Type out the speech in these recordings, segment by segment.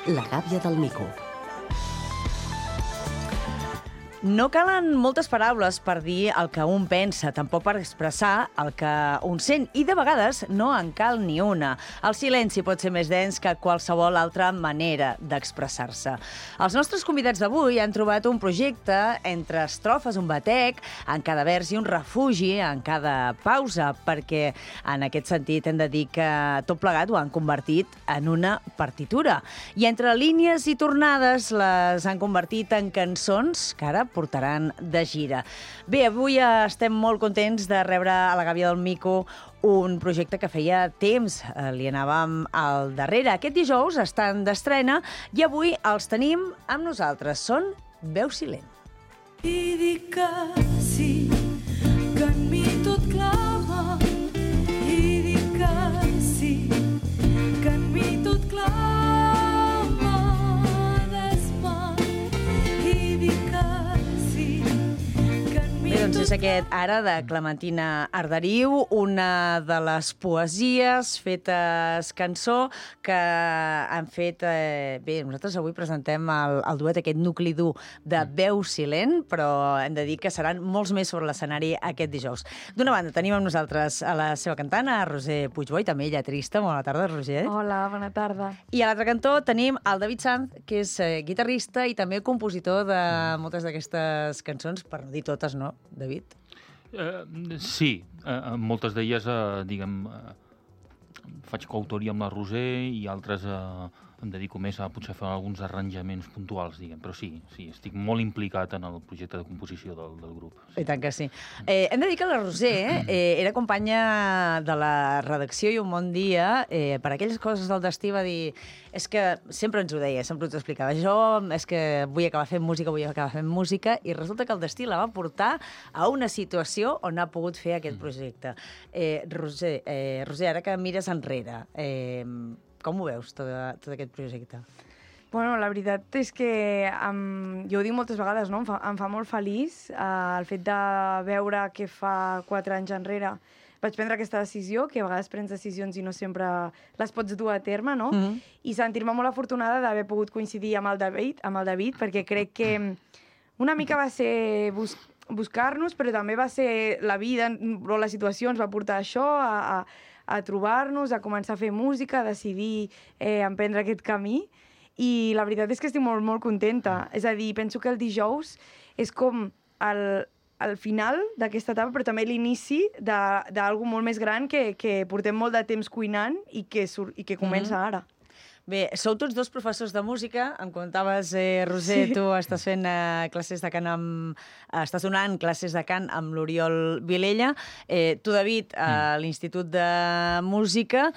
La gàbia del mico. No calen moltes paraules per dir el que un pensa, tampoc per expressar el que un sent, i de vegades no en cal ni una. El silenci pot ser més dens que qualsevol altra manera d'expressar-se. Els nostres convidats d'avui han trobat un projecte entre estrofes, un batec, en cada vers i un refugi en cada pausa, perquè en aquest sentit hem de dir que tot plegat ho han convertit en una partitura. I entre línies i tornades les han convertit en cançons que ara portaran de gira. Bé, avui estem molt contents de rebre a la Gàbia del Mico un projecte que feia temps li anàvem al darrere. Aquest dijous estan d'estrena i avui els tenim amb nosaltres. Són Veu Silent. I dic que sí, que en mi tot clama. I dic que sí, que en mi tot clama. Doncs és aquest Ara, de Clementina Arderiu, una de les poesies fetes cançó que han fet... Bé, nosaltres avui presentem el duet, aquest nucli dur de Veu Silent, però hem de dir que seran molts més sobre l'escenari aquest dijous. D'una banda, tenim amb nosaltres a la seva cantant, a Roser Puigboi, també lletrista. Bona tarda, Roser. Hola, bona tarda. I a l'altre cantó tenim el David Sanz, que és guitarrista i també compositor de moltes d'aquestes cançons, per no dir totes, no, David? Sí, moltes d'elles, faig coautoria amb la Roser i altres em dedico més a potser fer alguns arranjaments puntuals, però sí, estic molt implicat en el projecte de composició del grup. Sí. I tant que sí. Hem de dir que la Roser era companya de la redacció i Un Bon Dia, per aquelles coses del destí va dir... És que sempre ens ho deia, sempre ens ho explicava. Jo és que vull acabar fent música, i resulta que el destí la va portar a una situació on ha pogut fer aquest projecte. Roser, ara que mires enrere, com ho veus, tot aquest projecte? Bueno, la veritat és que jo ho dic moltes vegades, no? Em fa molt feliç el fet de veure que fa 4 anys enrere vaig prendre aquesta decisió, que a vegades prens decisions i no sempre les pots dur a terme, no? I sentir-me molt afortunada d'haver pogut coincidir amb el David, perquè crec que una mica va ser buscar-nos, però també va ser la vida o la situació ens va portar a això, a trobar-nos, a començar a fer música, a decidir emprendre aquest camí. I la veritat és que estic molt, molt contenta. És a dir, penso que el dijous és com el final d'aquesta etapa, però també l'inici d'alguna molt més gran que portem molt de temps cuinant i que comença ara. Bé, sou tots dos professors de música. Em comentaves, Roser, tu estàs fent classes de cant estàs donant classes de cant amb l'Oriol Vilella. Tu, David, a l'Institut de Música.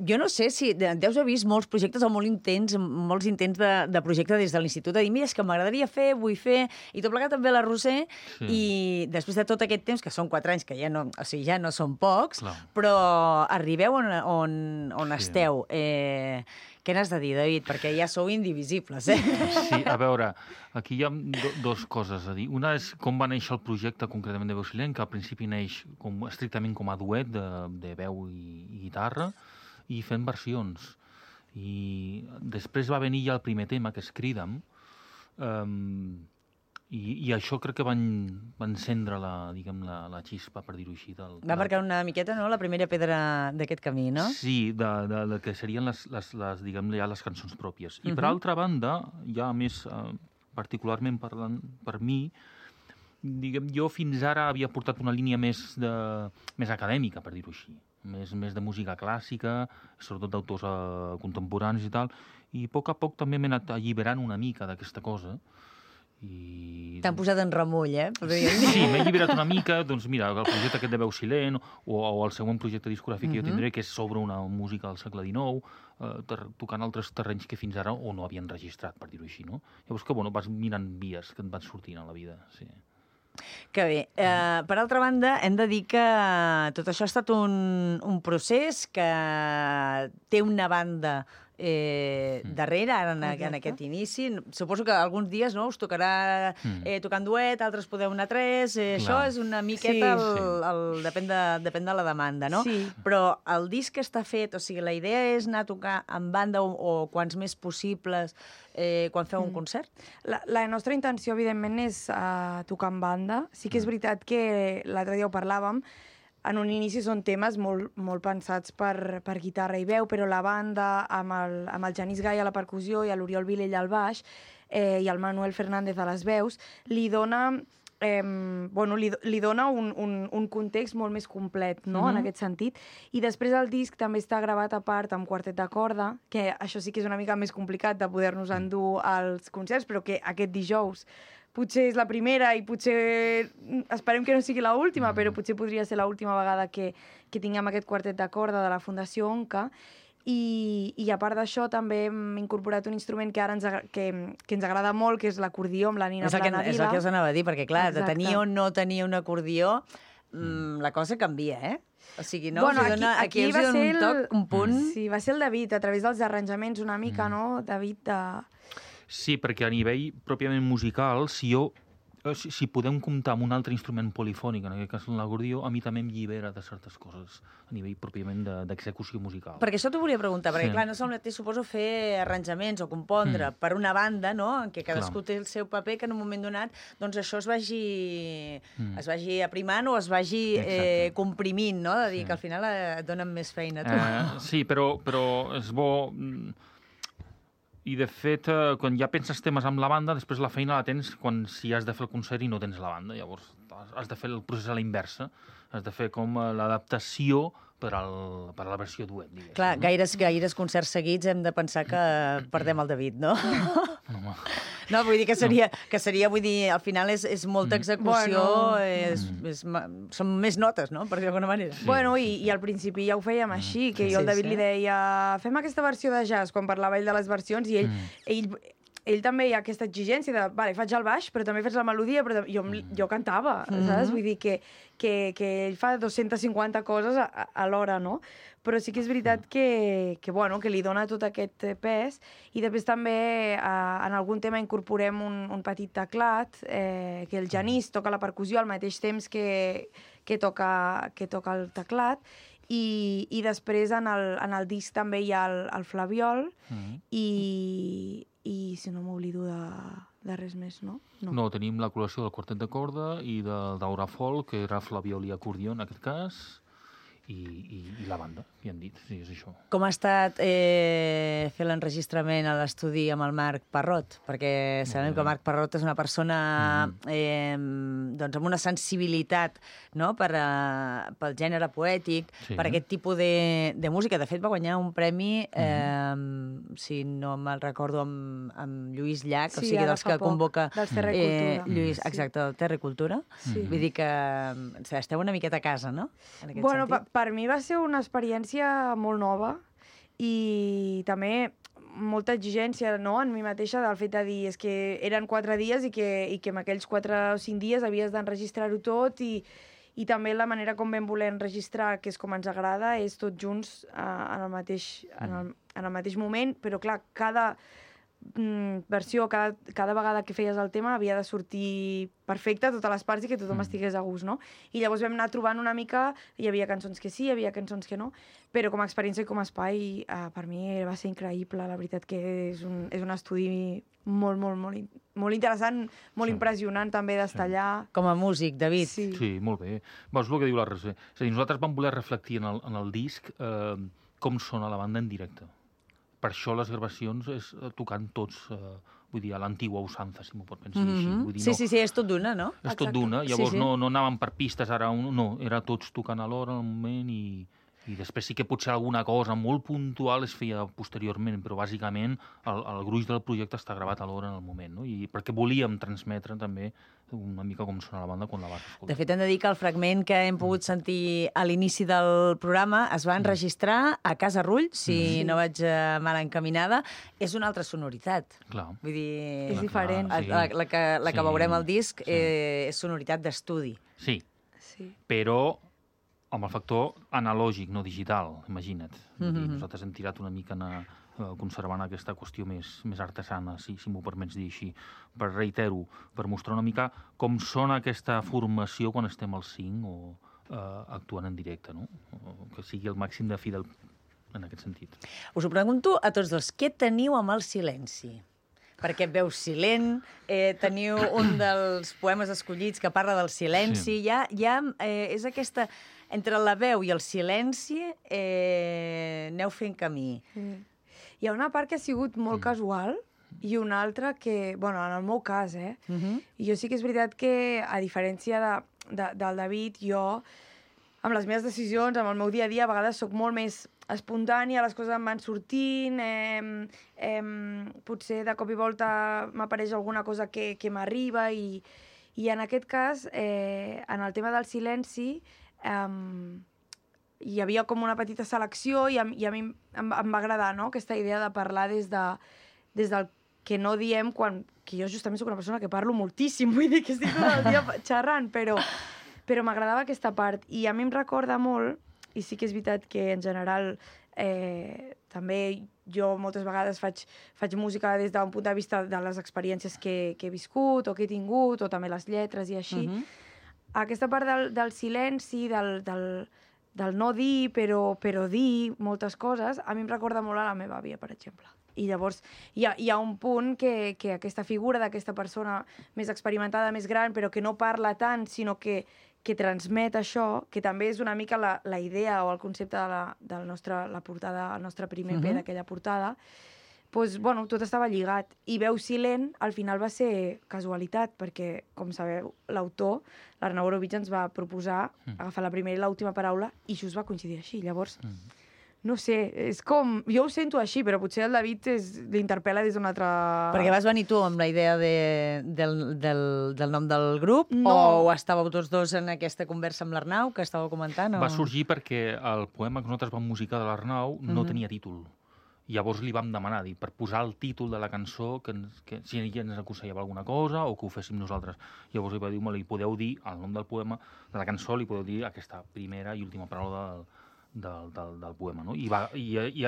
Jo no sé si deus haver vist molts projectes o molts intents de projecte des de l'Institut, de dir, mira, és que m'agradaria fer, vull fer, i tot plegat també la Roser, i després de tot aquest temps, que són 4 anys, que ja no són pocs, però arribeu on esteu. Què n'has de dir, David? Perquè ja sou indivisibles, Sí, a veure, aquí hi ha dues coses a dir. Una és com va néixer el projecte concretament de Veu Silent, que al principi neix estrictament com a duet de veu i guitarra, i fent versions. I després va venir ja el primer tema, que és Crida'm, i això crec que va encendre la xispa, per dir-ho així. Va marcar una miqueta, no?, la primera pedra d'aquest camí, no? Sí, de que serien les cançons pròpies. I per altra banda, ja més particularment parlant per mi, jo fins ara havia portat una línia més acadèmica, per dir-ho així. Més de música clàssica, sobretot d'autors contemporanis i tal, i a poc també m'he anat alliberant una mica d'aquesta cosa. T'han posat en remull, Sí, m'he alliberat una mica, doncs mira, el projecte aquest de Veu Silent o el següent projecte discogràfic que jo tindré, que és sobre una música del segle XIX, tocant altres terrenys que fins ara o no havien registrat, per dir-ho així, no? Llavors que, vas mirant vies que et van sortint a la vida, sí. Que bé. Per altra banda, hem de dir que tot això ha estat un procés que té una banda darrere, ara en aquest inici. Suposo que alguns dies us tocarà tocar en duet, altres podeu anar tres. Això és una miqueta, depèn de la demanda, no? Sí. Però el disc està fet, o sigui, la idea és anar a tocar en banda o quants més possibles quan feu un concert? La nostra intenció, evidentment, és tocar en banda. Sí que és veritat que l'altre dia ho parlàvem, en un inici són temes molt pensats per guitarra i veu, però la banda, amb el Genís Gai a la percussió i l'Oriol Vilell al baix i el Manuel Fernández a les veus, li dona li dona un context molt més complet, no?, en aquest sentit. I després el disc també està gravat a part amb quartet de corda, que això sí que és una mica més complicat de poder-nos endur als concerts, però que aquest dijous potser és la primera i potser esperem que no sigui l'última, però potser podria ser l'última vegada que tinguem aquest quartet de corda de la Fundació Onca. I a part d'això també hem incorporat un instrument que ara que ens agrada molt, que és l'acordió amb la Nina Planadila. És el que us anava a dir, perquè clar, de tenir o no tenir un acordió, la cosa canvia, eh? O sigui, no? Bueno, aquí us dona un toc, un punt. Sí, va ser el David, a través dels arranjaments una mica, no? David Sí, perquè a nivell pròpiament musical, si podem comptar amb un altre instrument polifònic, en aquest cas l'acordió, a mi també em llibera de certes coses a nivell pròpiament d'execució musical. Perquè això t'ho volia preguntar, perquè clar, no és el mateix, suposo, fer arranjaments o compondre per una banda, no?, en què cadascú té el seu paper, que en un moment donat doncs això es vagi aprimant o es vagi comprimint, no?, de dir que al final et donen més feina a tu. Sí, però és bo... I, de fet, quan ja penses temes amb la banda, després la feina la tens si has de fer el concert i no tens la banda. Llavors, has de fer el procés a la inversa. Has de fer com l'adaptació per a la versió duet, diguéssim. Clar, gaires concerts seguits hem de pensar que perdem el David, no? No, vull dir que seria, vull dir, al final és molta execució, són més notes, no?, per dir d'alguna manera. Sí. Bueno, i al principi ja ho fèiem així, que jo al David li deia fem aquesta versió de jazz, quan parlava ell de les versions, i ell també hi ha aquesta exigència de, vale, faig el baix, però també fes la melodia, però jo cantava, saps? Vull dir que ell fa 250 coses alhora, no? Però sí que és veritat que li dona tot aquest pes, i després també en algun tema incorporem un petit teclat, que el Genís toca la percussió al mateix temps que toca el teclat, i després en el disc també hi ha el flabiol, i si no m'oblido de res més, no? No, tenim la col·lecció del quartet de corda i del Daura Folk, que era flabiol i acordió en aquest cas, i la banda, ja han dit, sí, és això. Com ha estat fer l'enregistrament a l'estudi amb el Marc Parrot? Perquè sabem que Marc Parrot és una persona doncs amb una sensibilitat, no?, pel gènere poètic, per aquest tipus de música. De fet, va guanyar un premi, si no me'l recordo, amb Lluís Llach, o sigui, dels que convoca... Dels Terra i Cultura. Lluís, exacte, del Terra i Cultura. Vull dir que esteu una miqueta a casa, no?, en aquest sentit. Per mi va ser una experiència molt nova i també molta exigència, no?, en mi mateixa, del fet de dir és que eren 4 dies i que en aquells 4 o 5 dies havies d'enregistrar-ho tot, i també la manera com vam voler enregistrar, que és com ens agrada, és tots junts en el mateix moment, però clar, cada versió, cada vegada que feies el tema havia de sortir perfecte a totes les parts i que tothom estigués a gust, no? I llavors vam anar trobant una mica, hi havia cançons que sí, hi havia cançons que no, però com a experiència i com a espai, per mi va ser increïble, la veritat que és un estudi molt interessant, molt impressionant també d'estar allà. Com a músic, David. Sí, molt bé. És el que diu la Roser. És a dir, nosaltres vam voler reflectir en el disc com sona la banda en directe. Per això les gravacions és tocant tots, vull dir, a l'antigua usança, si m'ho pot pensar així. Sí, és tot d'una, no? És tot d'una, llavors no anàvem per pistes, ara no, era tots tocant alhora en el moment, i després sí que potser alguna cosa molt puntual es feia posteriorment, però bàsicament el gruix del projecte està gravat alhora en el moment, no? I perquè volíem transmetre també una mica com sona la banda quan la vas escoltar. De fet, hem de dir que el fragment que hem pogut sentir a l'inici del programa es va enregistrar a Casa Rull, si no vaig mal encaminada. És una altra sonoritat. Clar. Vull dir... És diferent. La que veurem al disc és sonoritat d'estudi. Sí, però amb el factor analògic, no digital, imagina't. Nosaltres hem tirat una mica conservant aquesta qüestió més artesana, si m'ho permets dir així. Reitero, per mostrar una mica com sona aquesta formació quan estem al 5 o actuant en directe, no? Que sigui el màxim de fidel en aquest sentit. Us ho pregunto a tots dos. Què teniu amb el silenci? Perquè et veus silent, teniu un dels poemes escollits que parla del silenci. Ja és aquesta... Entre la veu i el silenci aneu fent camí. Hi ha una part que ha sigut molt casual i una altra que, bueno, en el meu cas, i jo sí que és veritat que, a diferència del David, jo, amb les meves decisions, amb el meu dia a dia, a vegades sóc molt més espontània, les coses em van sortint, potser de cop i volta m'apareix alguna cosa que m'arriba i en aquest cas, en el tema del silenci, hi havia com una petita selecció i a mi em va agradar, no?, aquesta idea de parlar des del que no diem que jo justament soc una persona que parlo moltíssim, vull dir que estic tot el dia xerrant, però m'agradava aquesta part. I a mi em recorda molt, i sí que és veritat que en general també jo moltes vegades faig música des d'un punt de vista de les experiències que he viscut o que he tingut, o també les lletres i així. Aquesta part del silenci, del no dir, però dir moltes coses, a mi em recorda molt a la meva àvia, per exemple. I llavors hi ha un punt que aquesta figura d'aquesta persona més experimentada, més gran, però que no parla tant, sinó que transmet això, que també és una mica la idea o el concepte de la portada, el nostre primer EP d'aquella portada, doncs, bueno, tot estava lligat. I Veu silent, al final va ser casualitat, perquè, com sabeu, l'autor, l'Arnau Orovich, ens va proposar agafar la primera i l'última paraula i just va coincidir així. Llavors, no sé, és com... Jo ho sento així, però potser el David l'interpel·la des d'una altra... Perquè vas venir tu amb la idea del nom del grup? No. O estàveu tots dos en aquesta conversa amb l'Arnau, que estàveu comentant? Va sorgir perquè el poema que nosaltres vam musicar de l'Arnau no tenia títol. Llavors li vam demanar, per posar el títol de la cançó, que si ella ens aconsellava alguna cosa o que ho féssim nosaltres. Llavors li va dir, li podeu dir, el nom del poema, de la cançó, li podeu dir aquesta primera i última paraula del poema, no? I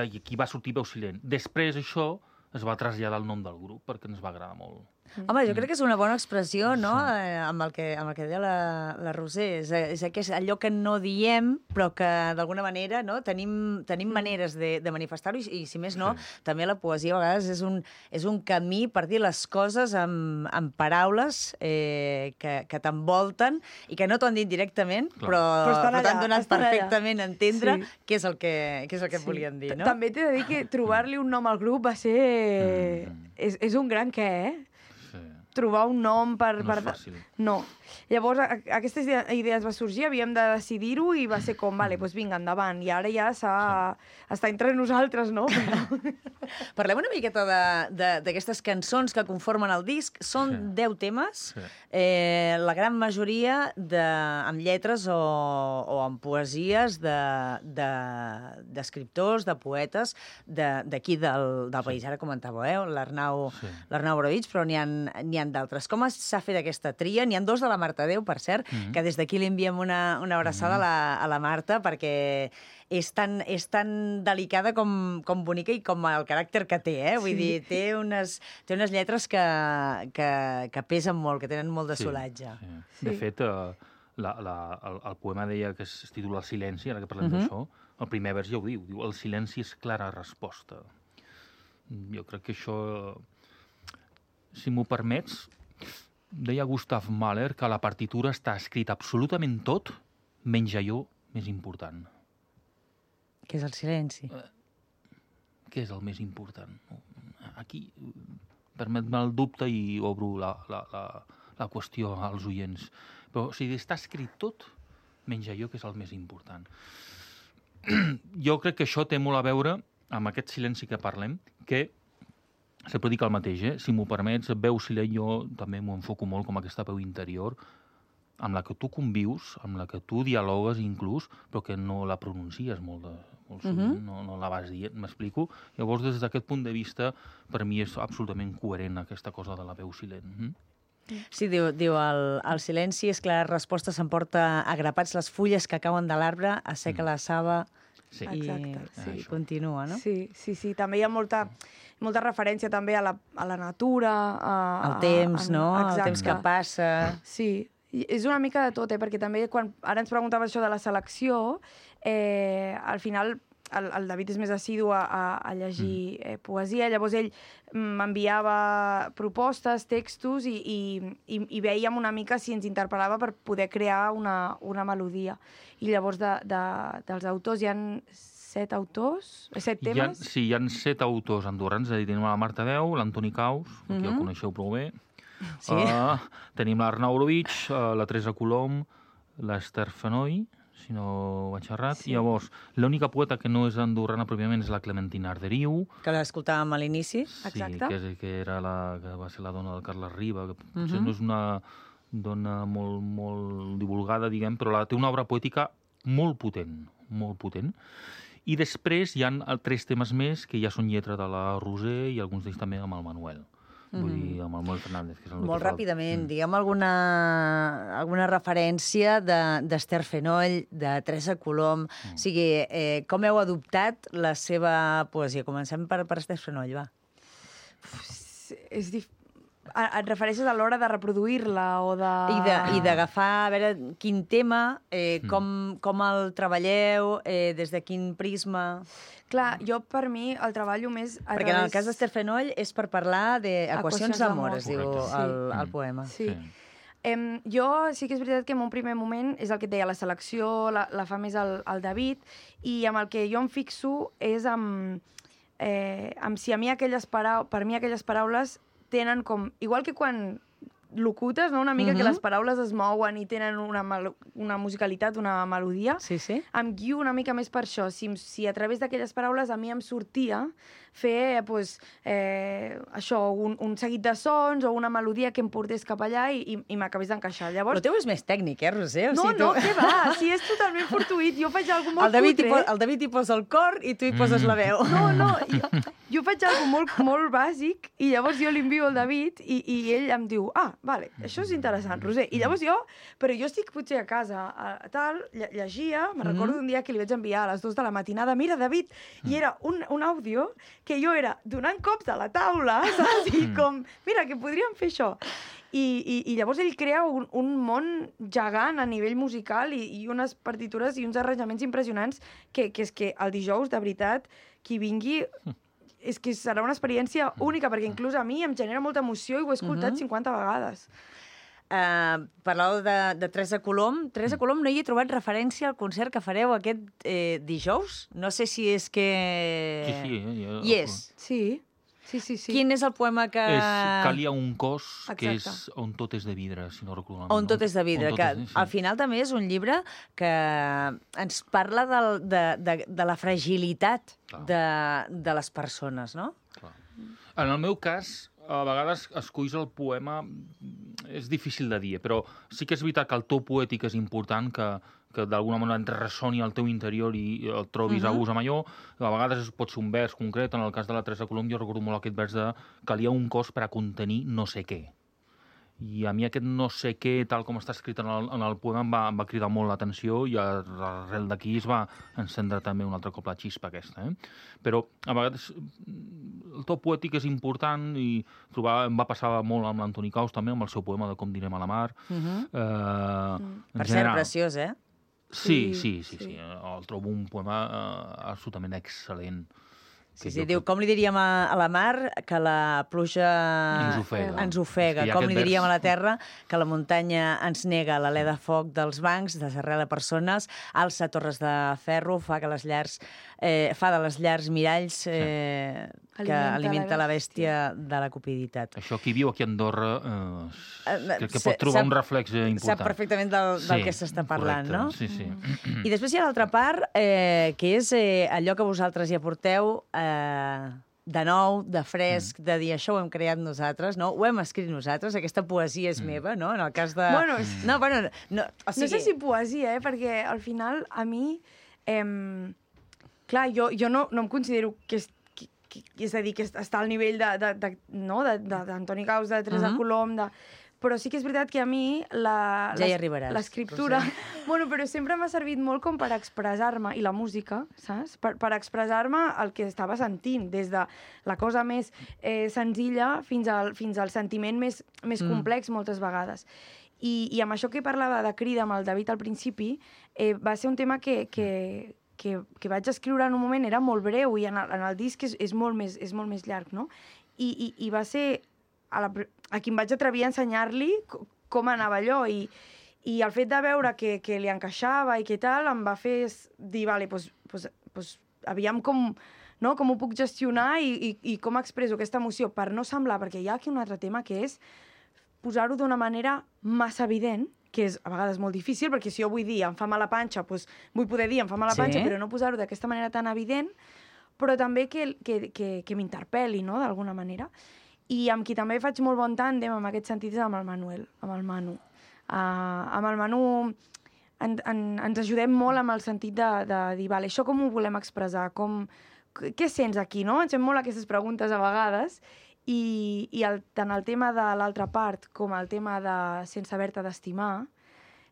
aquí va sortir Veu silent. Després això es va traslladar el nom del grup perquè ens va agradar molt. Home, jo crec que és una bona expressió, no?, amb el que deia la Roser. És allò que no diem, però que d'alguna manera, no?, tenim maneres de manifestar-ho i, si més no, també la poesia a vegades és un camí per dir les coses amb paraules que t'envolten i que no t'ho han dit directament, però t'han donat perfectament a entendre què és el que volien dir, no? També t'he de dir que trobar-li un nom al grup va ser... És un gran què, trobar un nom per... No és fàcil. No. Llavors, aquesta idea ens va sorgir, havíem de decidir-ho i va ser com, vale, doncs vinga, endavant. I ara ja està entre nosaltres, no? Parlem una miqueta d'aquestes cançons que conformen el disc. Són 10 temes, la gran majoria amb lletres o amb poesies d'escriptors, de poetes d'aquí del país. Ara comentàveu, l'Arnau Orovich, però n'hi ha d'altres. Com s'ha fet aquesta tria? N'hi ha 2 de la Marta Déu, per cert, que des d'aquí li enviem una abraçada a la Marta, perquè és tan delicada com bonica i com el caràcter que té, Vull dir, té unes lletres que pesen molt, que tenen molt de solatge. De fet, el poema deia que es titula El silenci, ara que parlem d'això, el primer vers ja ho diu, el silenci és clara resposta. Jo crec que això, si m'ho permets, deia Gustav Mahler que a la partitura està escrit absolutament tot, menys allò més important. Què és el silenci? Què és el més important? Aquí, permet-me el dubte i obro la qüestió als oients. Però, o sigui, està escrit tot, menys allò que és el més important. Jo crec que això té molt a veure amb aquest silenci que parlem, que sempre dic el mateix, si m'ho permets, Veu silent jo també m'ho enfoco molt com aquesta veu interior, amb la que tu convius, amb la que tu dialogues inclús, però que no la pronuncies molt sovint, no la vas dient, m'explico? Llavors, des d'aquest punt de vista, per mi és absolutament coherent aquesta cosa de la veu silent. Sí, diu el silenci és clara resposta, s'emporta agrapats les fulles que cauen de l'arbre, asseca la saba Sí. Exacte, sí. I continua, no? Sí. També hi ha molta referència també a la natura. El temps, no? Exacte. El temps que passa. Sí, i és una mica de tot, perquè també ara ens preguntava això de la selecció, al final el David és més assidu a llegir poesia, llavors ell m'enviava propostes, textos i vèiem una mica si ens interpel·lava per poder crear una melodia. I llavors dels autors hi ha 7 autors? 7 temes? Hi ha 7 autors andorrans, és a dir, tenim la Marta Deu, l'Antoni Caus, que ja el coneixeu prou bé, Sí. Tenim l'Arnau Orovich, la Teresa Colom, l'Esther Fenoi, si no vaig errat, i llavors l'única poeta que no és andorrana pròpiament és la Clementina Arderiu. Que l'escoltàvem a l'inici. Exacte. Mhm. Sí, que va ser la dona del Carles Riba, que potser no és una dona molt divulgada, diguem, però té una obra poètica molt potent, molt potent. I després hi ha 3 temes més que ja són lletra de la Roser i alguns d'ells també amb el Manuel. Vull dir, amb el Manuel Fernández. Que és el Molt que fa ràpidament, diguem alguna referència d'Esther Fenoll, de Teresa Colom. O sigui, com heu adoptat la seva poesia? Comencem per Esther Fenoll, va. Et refereixes a l'hora de reproduir-la o de... I d'agafar, a veure, quin tema, com el treballeu, des de quin prisma... Clar, jo per mi el treballo més... Perquè en el cas d'Esther Fenoll és per parlar d'equacions d'amor, es diu Correcte. el poema. Sí. Jo sí que és veritat que en un primer moment és el que et deia, la selecció la fa més el David, i amb el que jo em fixo és amb si a mi per mi aquelles paraules tenen com... Igual que quan locutes, no? Una mica que les paraules es mouen i tenen una musicalitat, una melodia. Sí, sí. Em guio una mica més per això. Si a través d'aquelles paraules a mi em sortia fer això, un seguit de sons o una melodia que em portés cap allà i m'acabés d'encaixar. Llavors... Però teu és més tècnic, Roser? O No, sigui, què va? Si és totalment fortuït. Jo faig alguna cosa molt cutre. El David hi posa el cor i tu hi poses la veu. No, jo faig alguna cosa molt bàsic i llavors jo li envio al David i ell em diu, vale, això és interessant, Roser. I llavors però jo estic potser a casa, llegia, me'n recordo d'un dia que li vaig enviar a les 2 de la matinada, mira, David, i era un àudio que jo era donant cops a la taula, saps? I com, mira, que podríem fer això. I llavors ell crea un món gegant a nivell musical i unes partitures i uns arranjaments impressionants que és que el dijous, de veritat, qui vingui... És que serà una experiència única, perquè inclús a mi em genera molta emoció i ho he escoltat 50 vegades. Parlàveu de Teresa Colom. Teresa Colom, no hi he trobat referència al concert que fareu aquest dijous? No sé si és que... Sí. Hi és. Sí. Quin és el poema que... Calia un cos, que és Exacte. On tot és de vidre, si no recordo. On tot és de vidre, que al final també és un llibre que ens parla de la fragilitat de les persones, no? Clar. En el meu cas, a vegades esculls el poema, és difícil de dir, però sí que és veritat que el to poètic és important, que d'alguna manera et ressoni al teu interior i el trobis a gust amb allò. A vegades pot ser un vers concret, en el cas de la Teresa Colom jo recordo molt aquest vers de calia un cos per a contenir no sé què. I a mi aquest no sé què, tal com està escrit en el poema, em va cridar molt l'atenció i arrel d'aquí es va encendre també un altre cop la xispa aquesta. Però a vegades el to poètic és important i em va passar molt amb l'Antoni Caus també, amb el seu poema de Com direm a la mar. Per cert, preciós, eh? Sí. El trobo un poema absolutament excel·lent. Sí, diu, com li diríem a la mar que la pluja ens ofega. Com li diríem a la terra que la muntanya ens nega l'alè de foc dels bancs, desarrela persones, alça torres de ferro, fa de les llars miralls que alimenta la bèstia de la cupiditat. Això qui viu aquí a Andorra crec que pot trobar un reflex important. Sap perfectament del que s'està parlant, no? Sí. I després hi ha l'altra part, que és allò que vosaltres hi aporteu de nou, de fresc, de dir això ho hem creat nosaltres, no? Ho hem escrit nosaltres, aquesta poesia és meva, no? En el cas de... No sé si poesia, perquè al final a mi... Clar, jo no em considero que és a dir, que està al nivell d'Antoni Caus, de Teresa Colom, però sí que és veritat que a mi ja hi arribaràs, l'escriptura... Bueno, però sempre m'ha servit molt com per expressar-me, i la música, saps? Per expressar-me el que estava sentint, des de la cosa més senzilla fins al sentiment més complex moltes vegades. I amb això que parlava de Crida amb el David al principi, va ser un tema que vaig escriure en un moment, era molt breu, i en el disc és molt més llarg, no? I va ser a qui em vaig atrevir a ensenyar-li com anava allò, i el fet de veure que li encaixava i que tal, em va fer dir, vale, doncs aviam com ho puc gestionar i com expresso aquesta emoció per no semblar, perquè hi ha aquí un altre tema que és posar-ho d'una manera massa evident, que és a vegades molt difícil, perquè si jo vull dir em fa mal la panxa, doncs vull poder dir em fa mal la panxa, però no posar-ho d'aquesta manera tan evident, però també que m'interpel·li, no?, d'alguna manera. I amb qui també faig molt bon tàndem en aquest sentit és amb el Manuel, amb el Manu. Amb el Manu ens ajudem molt amb el sentit de dir, vale, això com ho volem expressar, què sents aquí, no? Ens fem molt aquestes preguntes a vegades, i tant el tema de l'altra part com el tema de Sense haver-te d'estimar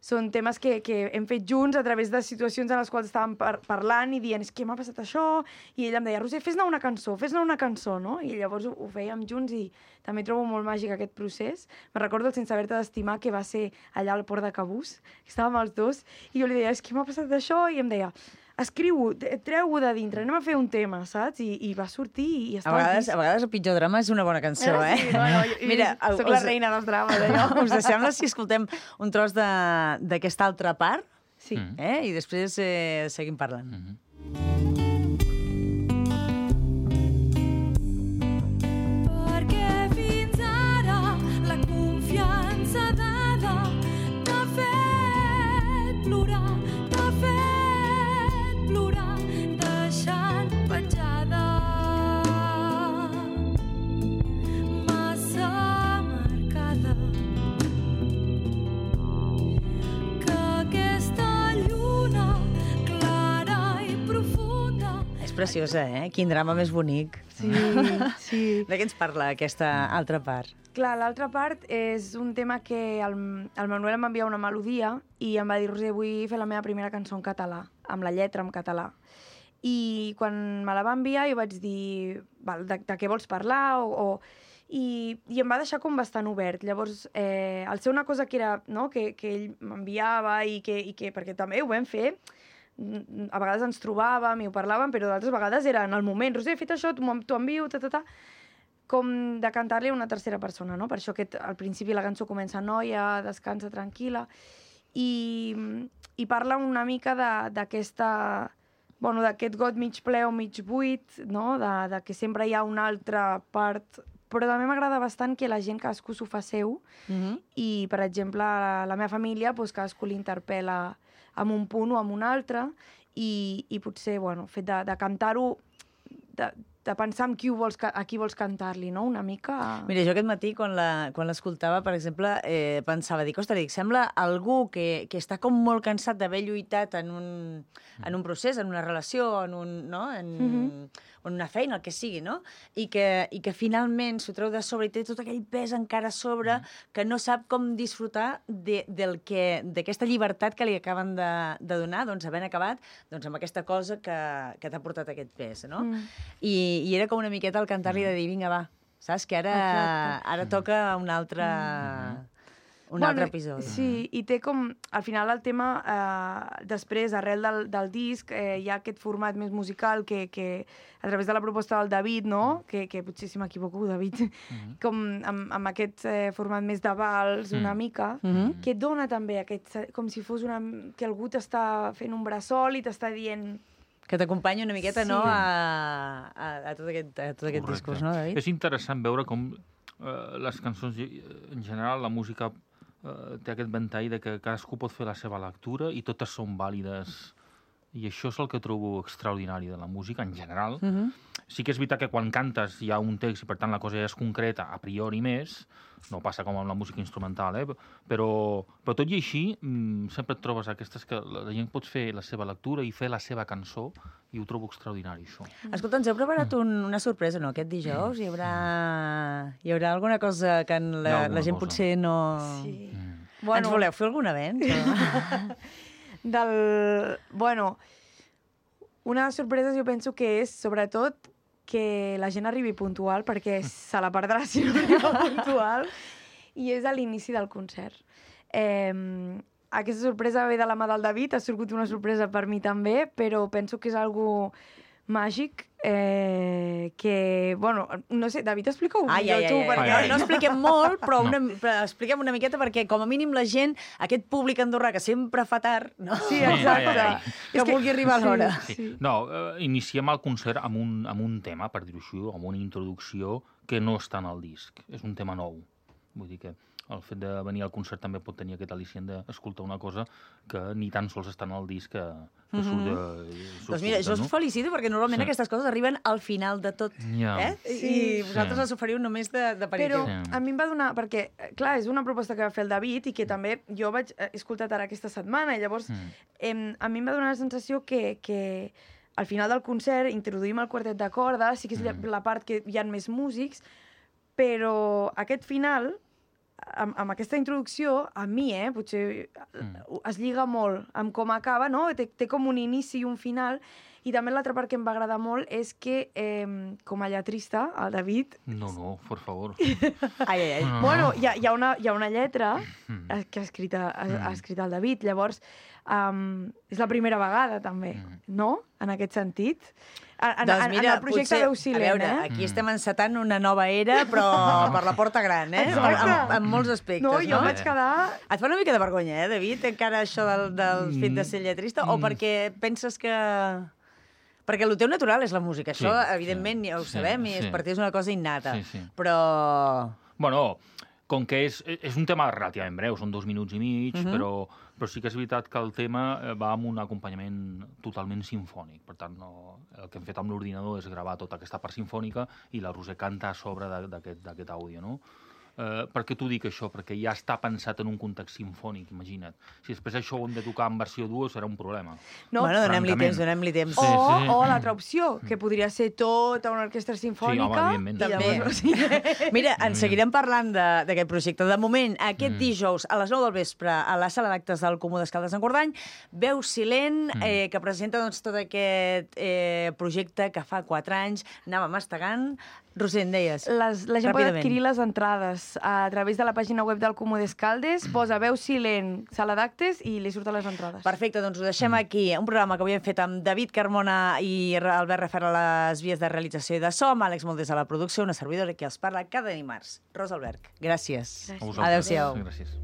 són temes que hem fet junts a través de situacions en les quals estàvem parlant i dient, és que m'ha passat això, i ella em deia, Roser, fes-ne una cançó, no? I llavors ho fèiem junts i també trobo molt màgic aquest procés. Me'n recordo el Sense haver-te d'estimar, que va ser allà al Port de Cabús, que estàvem els dos, i jo li deia, és que m'ha passat això, i em deia, escriu-ho, treu-ho de dintre, anem a fer un tema, saps? I va sortir i a vegades el pitjor drama és una bona cançó, eh? Sí, no, mira, soc la reina dels drames, allò. Us sembla si escoltem un tros d'aquesta altra part? Sí. I després seguim parlant. Perquè fins ara la confiança dada t'ha fet plorar, deixant penjada massa marcada, que aquesta lluna clara i profunda... És preciosa, eh? Quin drama més bonic. Sí. De què ens parla aquesta altra part? Clar, l'altra part és un tema que el Manuel em va enviar una melodia i em va dir, Roser, vull fer la meva primera cançó en català, amb la lletra en català. I quan me la va enviar jo vaig dir, val, de què vols parlar? I em va deixar com bastant obert. Llavors, al ser una cosa que era, no?, que ell m'enviava i que perquè també ho vam fer, a vegades ens trobàvem i ho parlàvem, però d'altres vegades era en el moment, Roser, he fet això, t'ho envio, com de cantar-li a una tercera persona, no? Per això al principi la cançó comença noia, descansa tranquil·la, i parla una mica d'aquesta... Bueno, d'aquest got mig ple o mig buit, no? De que sempre hi ha una altra part... Però també m'agrada bastant que la gent, cadascú s'ho fa seu, i, per exemple, la meva família, doncs, cadascú l'interpel·la amb un punt o amb un altre, i potser, bueno, el fet de cantar-ho, de pensar a qui vols cantar-li, no?, una mica... Mira, jo aquest matí, quan l'escoltava, per exemple, pensava, sembla algú que està com molt cansat d'haver lluitat en un procés, en una relació, en una feina, el que sigui, no? I que finalment s'ho treu de sobre i té tot aquell pes encara a sobre que no sap com disfrutar d'aquesta llibertat que li acaben de donar, doncs, havent acabat amb aquesta cosa que t'ha portat aquest pes, no? I era com una miqueta el cantar-li de dir, vinga, va, saps? Que ara toca un altre episodi. Sí, i té com... Al final el tema, després, arrel del disc, hi ha aquest format més musical que a través de la proposta del David, no?, que potser si m'equivoco, David, com amb aquest format més de vals, una mica, que dona també aquest... Com si fos que algú t'està fent un bressol i t'està dient... Que t'acompanya una miqueta, no?, a tot aquest discurs, no, David? És interessant veure com les cançons, en general, la música té aquest ventall de que cadascú pot fer la seva lectura i totes són vàlides. I això és el que trobo extraordinari de la música, en general. Sí que és veritat que quan cantes hi ha un text i, per tant, la cosa ja és concreta, a priori més, no passa com amb la música instrumental, però tot i així sempre et trobes aquestes que la gent pot fer la seva lectura i fer la seva cançó, i ho trobo extraordinari, això. Escolta, ens heu preparat una sorpresa, no?, aquest dijous? Hi haurà alguna cosa que la gent potser no... Sí. Ens voleu fer algun avenç? Bueno, una de les sorpreses jo penso que és, sobretot, que la gent arribi puntual, perquè se la perdrà si no arriba puntual, i és a l'inici del concert. Aquesta sorpresa ve de la mà del David, ha sigut una sorpresa per mi també, però penso que és algo màgic que, bueno, no sé, David, explica-ho millor tu, perquè no expliquem molt, però expliquem una miqueta perquè, com a mínim, la gent, aquest públic andorrà que sempre fa tard, no? Sí, exacte. Que vulgui arribar a l'hora. Sí. No, iniciem el concert amb un tema, per dir-ho així, amb una introducció que no està en el disc. És un tema nou. Vull dir que el fet de venir al concert també pot tenir aquest al·licient d'escoltar una cosa que ni tan sols està en el disc que surt de... Doncs mira, jo us felicito perquè normalment aquestes coses arriben al final de tot, I vosaltres les oferiu només d'aperitiu. Però a mi em va donar... Perquè, clar, és una proposta que va fer el David i que també jo vaig escoltar ara aquesta setmana i llavors a mi em va donar la sensació que al final del concert introduïm el quartet de corda, sí que és la part que hi ha més músics, però aquest final... amb aquesta introducció, a mi, potser es lliga molt amb com acaba, no? Té com un inici i un final, i també l'altra part que em va agradar molt és que, com a lletrista, el David... No, por favor. Ai. Bueno, hi ha una lletra que ha escrit el David, llavors és la primera vegada, també, no? En aquest sentit. Doncs mira, en el projecte Veu Silent, a veure, aquí estem encetant una nova era, però per la porta gran, en molts aspectes, no? Jo vaig quedar... Et fa una mica de vergonya, David, encara això del fet de ser lletrista, o perquè penses que... Perquè el teu natural és la música, això, evidentment, ja ho sabem, i per ti és una cosa innata, però... Bueno, com que és un tema relativament breu, són 2 minuts i mig, però sí que és veritat que el tema va amb un acompanyament totalment simfònic. Per tant, el que hem fet amb l'ordinador és gravar tota aquesta part simfònica i la Roser canta a sobre d'aquest àudio, no? Per què t'ho dic, això? Perquè ja està pensat en un context simfònic, imagina't. Si després això ho hem de tocar en versió duo, serà un problema. No, bueno, donem-li temps. O l'altra opció, que podria ser tota una orquestra simfònica. Sí, home, també. Mira, en seguirem parlant d'aquest projecte. De moment, aquest dijous, a les 9 del vespre, a la sala d'actes del Comú d'Escaldes d'Engordany, Veu Silent, que presenta tot aquest projecte que fa 4 anys anava mastegant. Roser, en deies? La gent pot adquirir les entrades a través de la pàgina web del Comú d'Escaldes, posa Veu Silent, sala d'actes, i li surten les entrades. Perfecte, doncs ho deixem aquí. Un programa que avui hem fet amb David Carmona i Albert Refer a les vies de realització i de so, amb Àlex Moldés a la producció, una servidora que els parla cada dimarts. Rosa Alberg, gràcies. Adéu-siau. Gràcies.